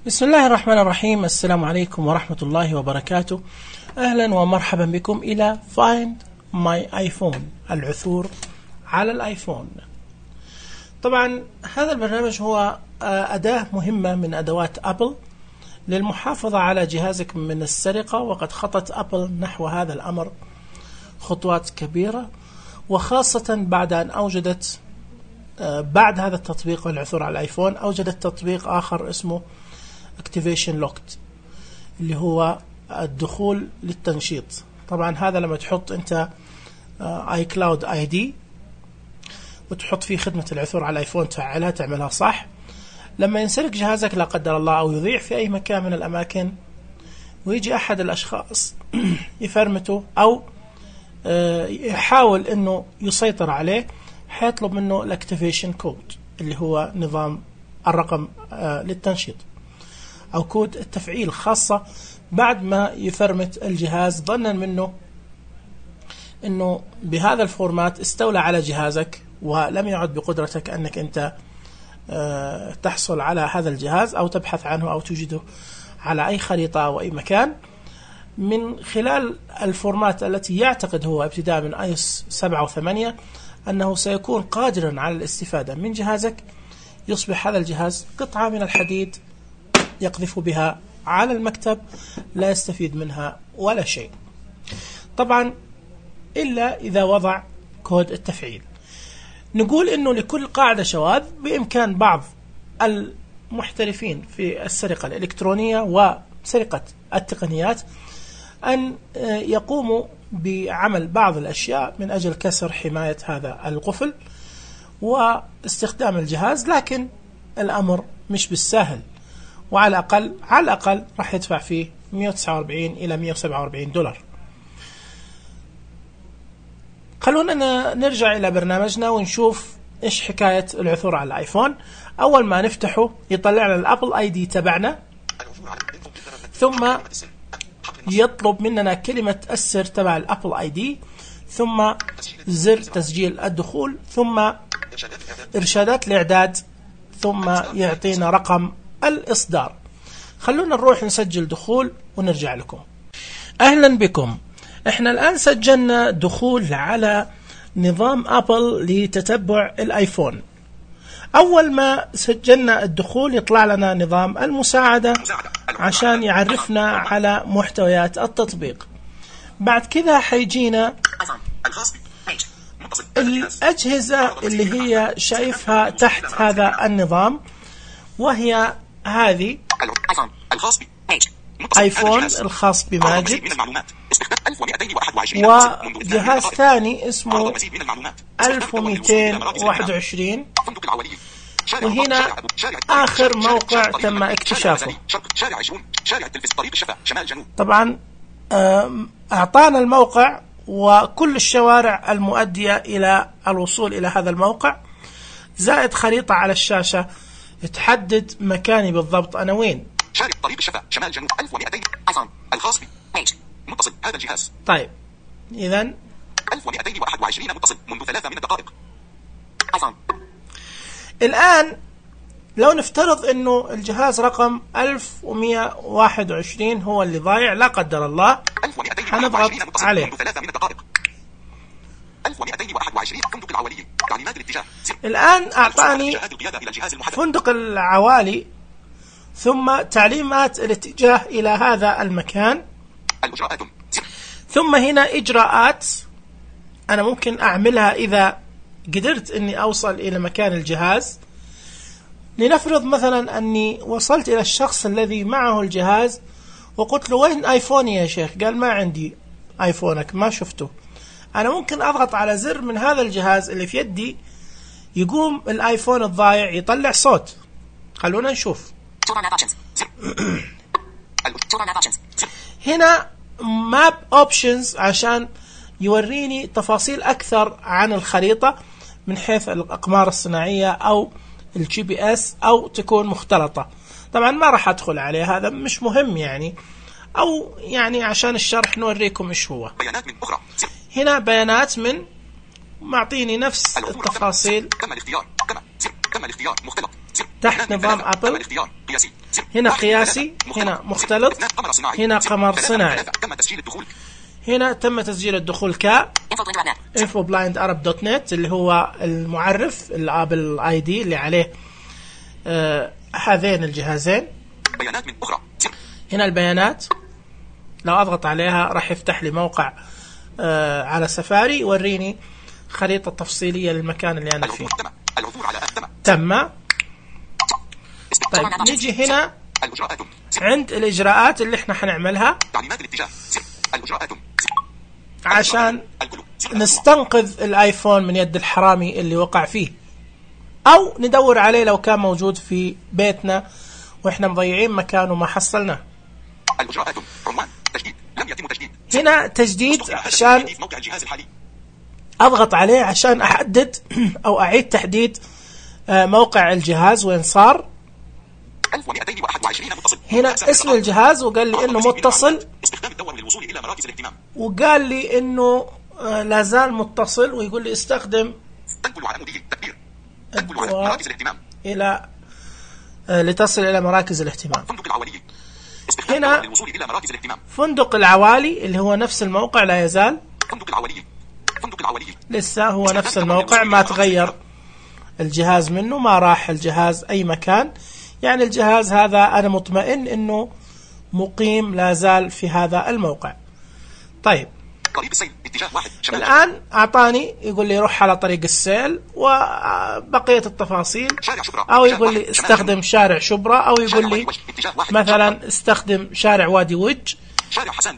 بسم الله الرحمن الرحيم. السلام عليكم ورحمة الله وبركاته. أهلا ومرحبا بكم إلى Find My iPhone، العثور على الآيفون. طبعا هذا البرنامج هو أداة مهمة من أدوات أبل للمحافظة على جهازك من السرقة، وقد خطت أبل نحو هذا الأمر خطوات كبيرة، وخاصة بعد أن أوجدت بعد هذا التطبيق والعثور على الآيفون أوجدت تطبيق آخر اسمه Activation Locked، اللي هو الدخول للتنشيط. طبعا هذا لما تحط انت iCloud ID وتحط فيه خدمة العثور على الايفون تفعلها تعملها صح، لما ينسرق جهازك لا قدر الله او يضيع في اي مكان من الاماكن ويجي احد الاشخاص يفرمته او يحاول انه يسيطر عليه، حيطلب منه الاكتيفيشن كود اللي هو نظام الرقم للتنشيط أو كود التفعيل، خاصة بعد ما يفرمت الجهاز ظنا منه أنه بهذا الفورمات استولى على جهازك ولم يعد بقدرتك أنك أنت تحصل على هذا الجهاز أو تبحث عنه أو توجده على أي خريطة أو أي مكان من خلال الفورمات التي يعتقد هو ابتداء من iOS 7 و8 أنه سيكون قادرا على الاستفادة من جهازك. يصبح هذا الجهاز قطعة من الحديد يقذف بها على المكتب، لا يستفيد منها ولا شيء، طبعا إلا إذا وضع كود التفعيل. نقول إنه لكل قاعدة شواذ، بإمكان بعض المحترفين في السرقة الإلكترونية وسرقة التقنيات أن يقوموا بعمل بعض الأشياء من أجل كسر حماية هذا القفل واستخدام الجهاز، لكن الأمر مش بالسهل، وعلى الأقل راح يدفع فيه 149 إلى 147 دولار. خلونا نرجع إلى برنامجنا ونشوف إيش حكاية العثور على الآيفون. أول ما نفتحه يطلع لنا الأبل آي دي تبعنا، ثم يطلب مننا كلمة السر تبع الأبل آي دي، ثم زر تسجيل الدخول، ثم إرشادات الإعداد، ثم يعطينا رقم الإصدار. خلونا نروح نسجل دخول ونرجع لكم. أهلا بكم. احنا الآن سجلنا دخول على نظام أبل لتتبع الآيفون. أول ما سجلنا الدخول يطلع لنا نظام المساعدة عشان يعرفنا على محتويات التطبيق. بعد كذا حيجينا الأجهزة اللي هي شايفها تحت هذا النظام، وهي هذه آيفون الخاص بماجد، وجهاز ثاني اسمه 1221، وهنا آخر موقع تم اكتشافه. طبعا أعطانا الموقع وكل الشوارع المؤدية إلى الوصول إلى هذا الموقع، زائد خريطة على الشاشة تحدد مكاني بالضبط أنا وين. شارع طريق الشفا شمال جنوب 1200 ايفون الخاص بيج متصل هذا الجهاز. طيب إذن 1221 متصل منذ 3 من الدقائق. ايفون الآن لو نفترض إنه الجهاز رقم 1121 هو اللي ضايع لا قدر الله، حنضغط عليه. منذ 3 من الدقائق 1221 فندق العوالي تعليمات الاتجاه. الآن أعطاني فندق العوالي ثم تعليمات الاتجاه إلى هذا المكان، ثم هنا إجراءات أنا ممكن أعملها إذا قدرت أني أوصل إلى مكان الجهاز. لنفرض مثلا أني وصلت إلى الشخص الذي معه الجهاز وقلت له وين آيفوني يا شيخ؟ قال ما عندي آيفونك، ما شفته. أنا ممكن أضغط على زر من هذا الجهاز اللي في يدي، يقوم الآيفون الضايع يطلع صوت. خلونا نشوف. هنا ماب اوبشنز عشان يوريني تفاصيل أكثر عن الخريطة من حيث الأقمار الصناعية أو الجي بي اس أو تكون مختلطة. طبعا ما راح أدخل عليه، هذا مش مهم يعني، أو يعني عشان الشرح نوريكم إيش هو. بيانات من أخرى. هنا بيانات من معطيني نفس التفاصيل. تم الاختيار مختلط تحت نظام أبل. الاختيار قياسي. هنا قياسي، هنا مختلط، هنا قمر صناعي. تم تسجيل الدخول. هنا تم تسجيل الدخول ك infoblindarab.net اللي هو المعرف الابل اي دي اللي عليه هذين الجهازين. بيانات من أخرى. هنا البيانات، لو أضغط عليها راح يفتح لي موقع على سفاري يوريني خريطة تفصيلية للمكان اللي أنا فيه. العثور على تم. طيب نيجي هنا عند الإجراءات اللي احنا حنعملها تعليمات الاتجاه. الإجراءات عشان نستنقذ الآيفون من يد الحرامي اللي وقع فيه، أو ندور عليه لو كان موجود في بيتنا وإحنا مضيعين مكانه ما حصلناه. الإجراءات عنوان تجديد لم يتم تجديد. هنا تجديد عشان موقع الجهاز الحالي. أضغط عليه عشان أحدد أو أعيد تحديد موقع الجهاز وين صار. 1221 متصل. هنا اسم الجهاز وقال لي إنه متصل، استخدام الدور للوصول إلى مراكز الاهتمام. وقال لي إنه لازال متصل، ويقول لي استخدم تنقل على مدير تدبير. تنقل على مراكز الاهتمام. إلى لتصل إلى مراكز الاهتمام. فندق العوالي. هنا للوصول إلى مراكز الاهتمام. فندق العوالي اللي هو نفس الموقع لا يزال. فندق العوالي. فندق العوالي. لسه هو نفس الموقع، ما تغير الجهاز منه، ما راح الجهاز أي مكان. يعني الجهاز هذا أنا مطمئن إنه مقيم لا زال في هذا الموقع. طيب طريق السيل اتجاه واحد شمال. الآن أعطاني يقول لي روح على طريق السيل وبقية التفاصيل، أو يقول لي استخدم شارع شبرا، أو يقول لي مثلا استخدم شارع وادي وج،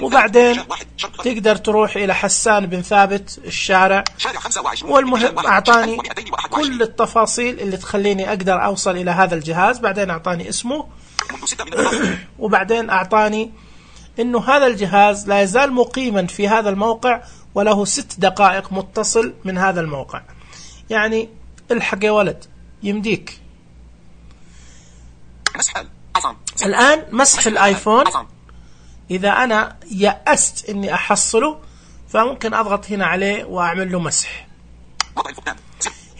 وبعدين تقدر تروح إلى حسان بن ثابت الشارع. والمهم أعطاني كل التفاصيل اللي تخليني أقدر أوصل إلى هذا الجهاز. بعدين أعطاني اسمه، وبعدين أعطاني إنه هذا الجهاز لا يزال مقيما في هذا الموقع وله 6 دقائق متصل من هذا الموقع. يعني الحق يا ولد يمديك. الآن مسح الآيفون، إذا أنا يأست إني أحصله فممكن أضغط هنا عليه وأعمل له مسح.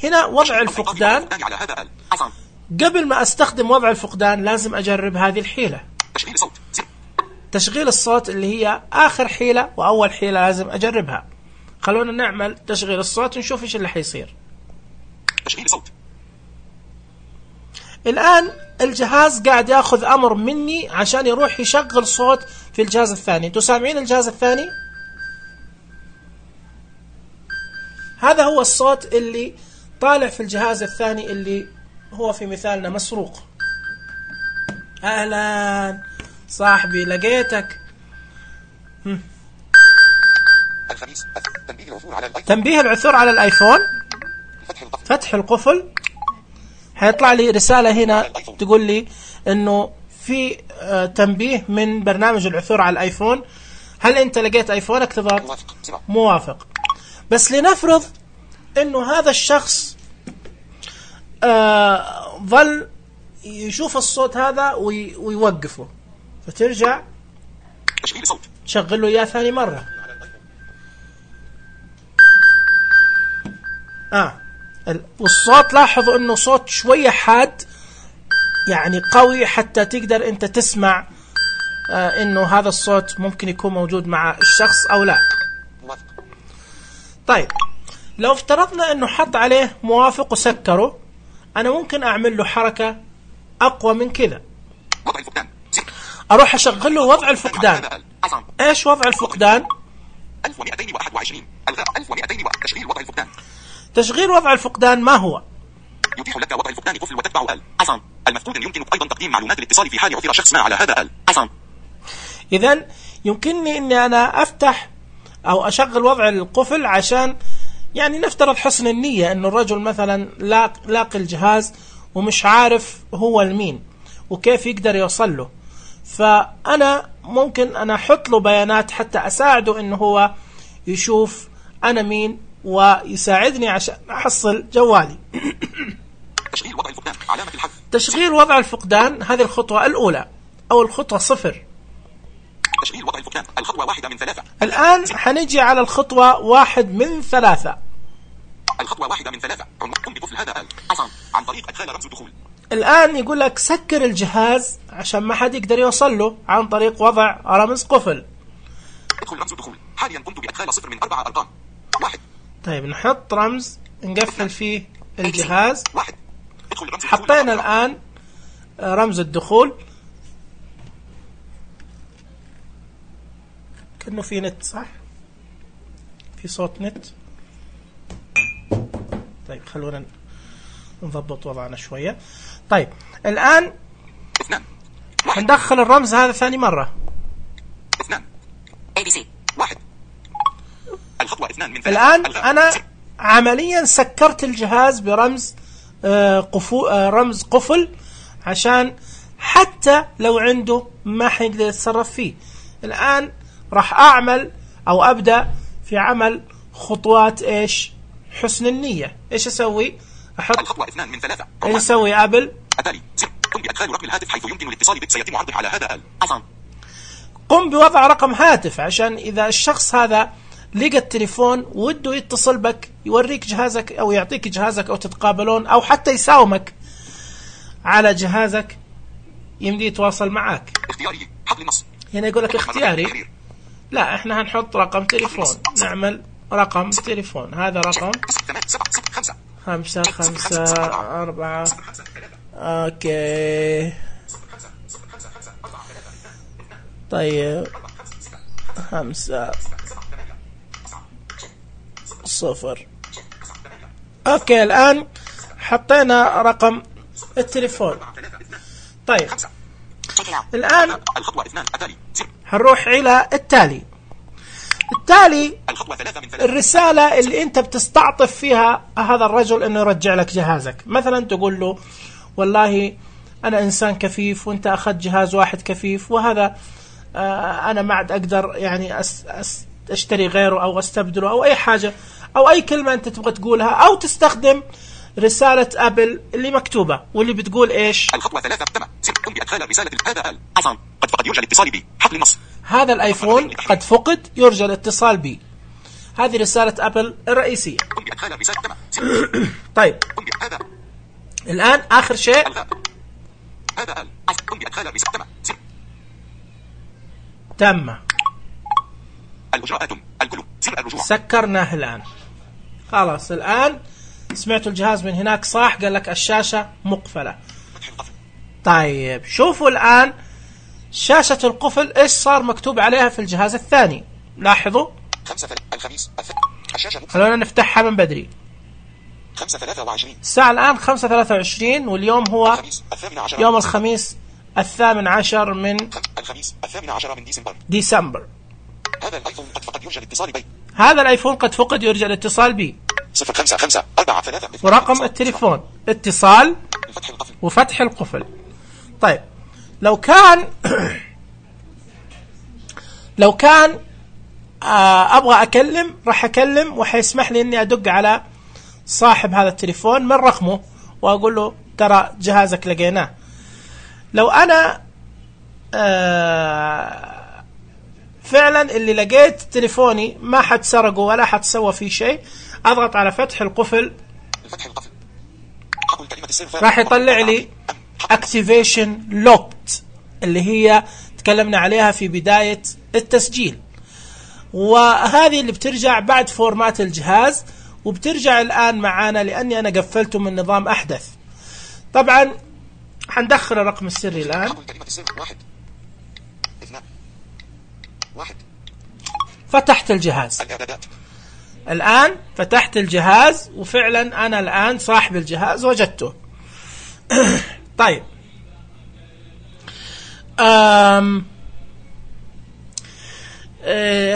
هنا وضع الفقدان. قبل ما أستخدم وضع الفقدان لازم أجرب هذه الحيلة، تشغيل الصوت، اللي هي آخر حيلة وأول حيلة لازم أجربها. خلونا نعمل تشغيل الصوت ونشوف إيش اللي حيصير. تشغيل صوت. الآن الجهاز قاعد ياخذ أمر مني عشان يروح يشغل صوت في الجهاز الثاني. انتوا سامعين الجهاز الثاني؟ هذا هو الصوت اللي طالع في الجهاز الثاني اللي هو في مثالنا مسروق. أهلا صاحبي لقيتك. الخميس تنبيه العثور على الآيفون. فتح القفل. حيطلع لي رسالة هنا تقول لي انه في تنبيه من برنامج العثور على الايفون. هل انت لقيت ايفونك؟ تضغط موافق. بس لنفرض انه هذا الشخص ظل يشوف الصوت هذا ويوقفه، فترجع تشغل له اياه ثاني مرة. والصوت لاحظوا انه صوت شوية حاد، يعني قوي حتى تقدر انت تسمع انه هذا الصوت ممكن يكون موجود مع الشخص او لا. طيب لو افترضنا انه حط عليه موافق وسكره، انا ممكن اعمل له حركة اقوى من كذا. اروح اشغل له وضع الفقدان. ايش وضع الفقدان؟ 1221 الغاء 1200 تشغيل وضع الفقدان. تشغيل وضع الفقدان ما هو؟ يتيح لك وضع الفقدان قفل وتتبع المفقود. يمكنك أيضا تقديم معلومات الاتصال في حال عثر شخص ما على هذا إذن يمكنني أني أنا أفتح أو أشغل وضع القفل عشان يعني نفترض حسن النية أنه الرجل مثلا لاقي الجهاز ومش عارف هو المين وكيف يقدر يوصل له، فأنا ممكن أنا أحط له بيانات حتى أساعده أنه هو يشوف أنا مين ويساعدني عشان أحصل جوالي. تشغيل وضع الفقدان. علامة الحذف. تشغيل وضع الفقدان هذه الخطوة الأولى أو الخطوة 0. تشغيل وضع الفقدان الخطوة 1 من 3. الآن حنجي على الخطوة 1 من 3. الخطوة 1 من 3. قم بقفل هذا عن طريق أدخال رمز الدخول. الآن يقول لك سكر الجهاز عشان ما حد يقدر يوصل له عن طريق وضع رمز قفل. ادخل رمز الدخول. حاليا قمت بإدخال 0 من 4 أرقام. 1. طيب نحط رمز نقفل فيه الجهاز. 1. ادخل رمز حطينا الآن رمز الدخول. كأنه في نت، صح؟ في صوت نت. طيب خلونا نضبط وضعنا شوية. طيب الآن 2. ندخل الرمز هذا ثاني مرة. 2. ABC. 1. الخطوة 2 من 3. الآن أنا عمليا سكرت الجهاز برمز رمز قفل عشان حتى لو عنده ما حيقدر يتصرف فيه. الآن راح أعمل أو أبدأ في عمل خطوات إيش؟ حسن النية. إيش أسوي؟ أحط الخطوة 2 من 3. إيش أسوي قبل؟ التالي قم بإدخال رقم الهاتف حيث يمكن الاتصال به. سيتم عرضه على هذا الآيفون. قم بوضع رقم هاتف عشان إذا الشخص هذا لقى التليفون وده يتصل بك يوريك جهازك أو يعطيك جهازك أو تتقابلون أو حتى يساومك على جهازك يمدي يتواصل معك. اختياري حقل النص. هنا يقول لك اختياري. لا احنا هنحط رقم تليفون. نعمل رقم تليفون. هذا رقم 5 5 4. اوكي طيب 5 0. اوكي الان حطينا رقم التليفون. طيب الان الخطوة 2 التالي هنروح الى التالي. الخطوة 3 من 3. الرسالة اللي انت بتستعطف فيها هذا الرجل انه يرجع لك جهازك. مثلا تقول له والله انا انسان كفيف وانت اخذت جهاز واحد كفيف وهذا انا ما عاد اقدر يعني اشتري غيره او استبدله او اي حاجة او اي كلمة انت تبغى تقولها او تستخدم رسالة ابل اللي مكتوبة واللي بتقول ايش؟ الخطوة 3 تم. قم بإدخال رسالة هذا الآيفون قد فقد يرجى الاتصال بي. حقل النص. هذا الايفون قد فقد يرجى الاتصال بي. هذه رسالة ابل الرئيسية. قم بإدخال رسالة تم. طيب قم بهذا. الان اخر شيء هذا قم بإدخال رسالة تم. الإجراءات الكل. زر الرجوع. سكرناه الآن. خلاص الآن سمعتوا الجهاز من هناك صح؟ قال لك الشاشة مقفلة. طيب شوفوا الآن شاشة القفل إيش صار مكتوب عليها في الجهاز الثاني. لاحظوا 5 الخميس الشاشة خلونا نفتحها من بدري. 5:23. الساعة الآن 5:23 واليوم هو يوم الخميس 18 من الخميس 18 من ديسمبر. هذا الايفون قد فقد يرجى الاتصال بي. هذا الايفون قد فقد يرجى الاتصال بي. 05543 ورقم التليفون اتصال وفتح القفل. طيب لو كان ابغى اكلم راح اكلم وحيسمح لي اني ادق على صاحب هذا التليفون من رقمه واقول له ترى جهازك لقيناه. لو انا فعلا اللي لقيت تليفوني ما حد سرقه ولا حد سوى فيه شيء اضغط على فتح القفل راح يطلع لي activation locked اللي هي تكلمنا عليها في بداية التسجيل، وهذه اللي بترجع بعد فورمات الجهاز وبترجع الآن معانا لأني أنا قفلته من نظام أحدث. طبعا حندخل الرقم السري الآن. فتحت الجهاز الآن، فتحت الجهاز وفعلا أنا الآن صاحب الجهاز وجدته. طيب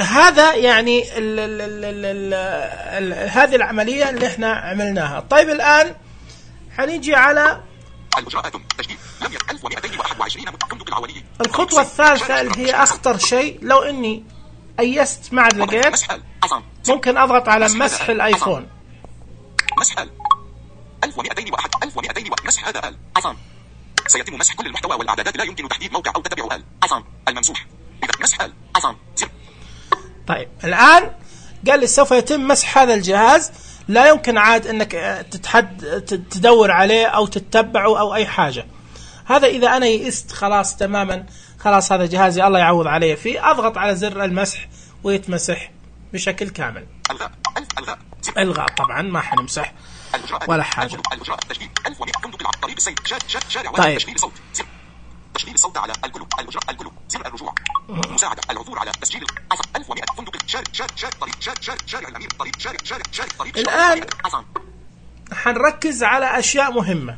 هذا يعني هذه العملية اللي احنا عملناها. طيب الآن حنيجي على الخطوة الثالثة اللي هي أخطر شيء. لو إني أيست ما عاد لقيت ممكن أضغط على مسح الآيفون. مسح 1201 1201 مسح هذا الآيفون. سيتم مسح كل المحتوى والإعدادات. لا يمكن تحديد موقع أو تتبع الآيفون الممسوح. إذا مسح الآيفون. طيب الآن قال لي سوف يتم مسح هذا الجهاز لا يمكن عاد أنك تدور عليه أو تتبعه أو أي حاجة. هذا إذا أنا يئست خلاص تماما، خلاص هذا جهازي الله يعوض عليه فيه، أضغط على زر المسح ويتمسح بشكل كامل. إلغاء طبعا ما حنمسح ولا حاجة. طيب تشغيل الصوت على القلوب، القلوب زر الرجوع، مساعدة العثور على تسجيل 1100 فندق شارع الأمير طريق. الآن حنركز على أشياء مهمة.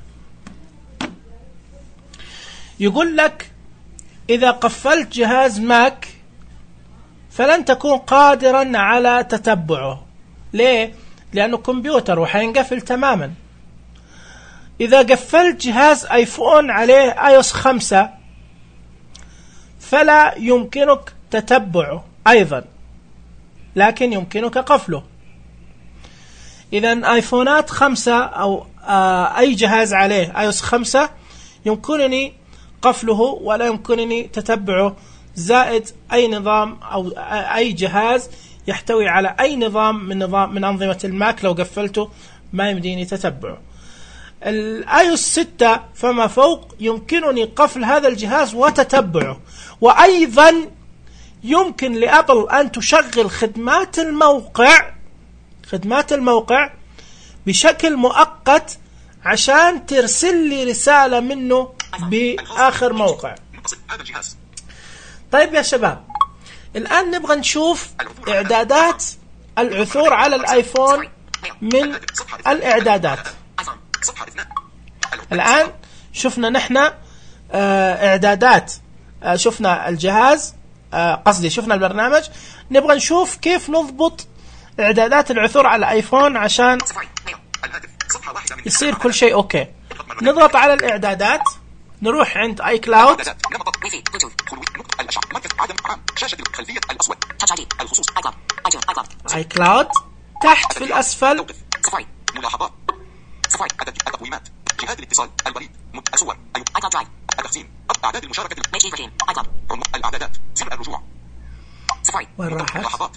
يقول لك إذا قفلت جهاز ماك فلن تكون قادرا على تتبعه. ليه؟ لأنه كمبيوتر وحينقفل تماما. إذا قفلت جهاز آيفون عليه iOS 5 فلا يمكنك تتبعه أيضا، لكن يمكنك قفله. إذن آيفونات 5 أو أي جهاز عليه iOS 5 يمكنني قفله ولا يمكنني تتبعه، زائد أي نظام أو أي جهاز يحتوي على أي نظام من أنظمة الماك لو قفلته ما يمديني تتبعه. iOS 6 فما فوق يمكنني قفل هذا الجهاز وتتبعه، وأيضا يمكن لأبل أن تشغل خدمات الموقع بشكل مؤقت عشان ترسل لي رسالة منه بآخر موقع. طيب يا شباب، الآن نبغى نشوف إعدادات العثور على الآيفون من الإعدادات. الآن شفنا نحن إعدادات، شفنا الجهاز، قصدي شفنا البرنامج. نبغى نشوف كيف نضبط إعدادات العثور على الآيفون عشان يصير كل شيء أوكي. نضغط على الإعدادات، نروح عند اي كلاود، اي كلاود تحت في الاسفل ملاحظات التقويمات، جهات الاتصال، البريد، الصور، التخزين، اعداد المشاركة، الاعدادات، زر الرجوع، وين راحت؟ ملاحظات،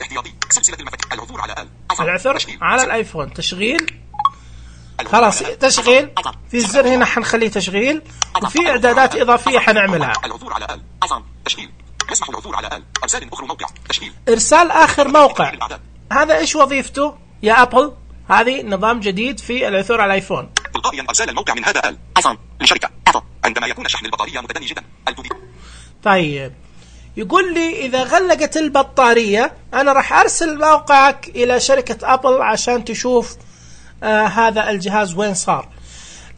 احتياطي، سلسلة المفاتيح، العثور على الايفون، تشغيل، خلاص تشغيل في الزر هنا حنخليه تشغيل، وفي اعدادات اضافيه حنعملها. العثور على تشغيل، يسمح العثور على ارسال اخر موقع، تشغيل، ارسال اخر موقع. هذا ايش وظيفته يا ابل؟ هذه نظام جديد في العثور على الايفون. تلقائيا ارسال الموقع من هذا ايفون لشركه ابل عندما يكون شحن البطاريه متدني جدا. طيب يقول لي اذا غلقت البطاريه انا راح ارسل موقعك الى شركه ابل عشان تشوف هذا الجهاز وين صار.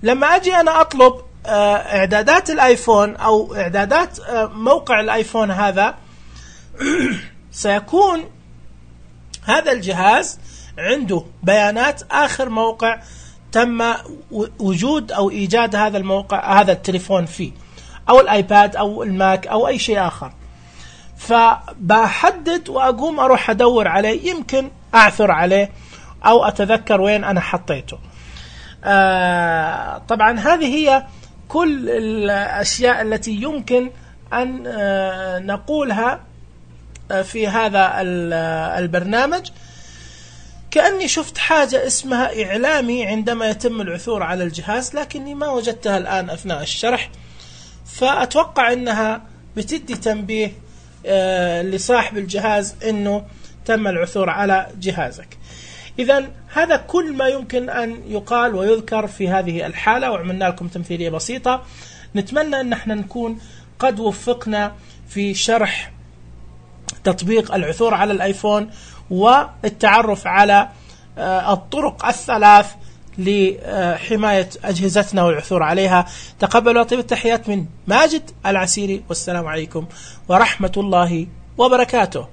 لما أجي أنا أطلب إعدادات الآيفون أو إعدادات موقع الآيفون هذا سيكون هذا الجهاز عنده بيانات آخر موقع تم وجود أو إيجاد هذا الموقع، هذا التليفون فيه، أو الآيباد أو الماك أو أي شيء آخر. فبحدد وأقوم أروح أدور عليه، يمكن أعثر عليه أو أتذكر وين أنا حطيته. طبعا هذه هي كل الأشياء التي يمكن أن نقولها في هذا البرنامج. كأني شفت حاجة اسمها إعلامي عندما يتم العثور على الجهاز، لكني ما وجدتها الآن أثناء الشرح، فأتوقع أنها بتدي تنبيه لصاحب الجهاز أنه تم العثور على جهازك. إذن هذا كل ما يمكن أن يقال ويذكر في هذه الحالة، وعملنا لكم تمثيلية بسيطة. نتمنى أن احنا نكون قد وفقنا في شرح تطبيق العثور على الآيفون والتعرف على الطرق الثلاث لحماية أجهزتنا والعثور عليها. تقبلوا طيب التحيات من ماجد العسيري، والسلام عليكم ورحمة الله وبركاته.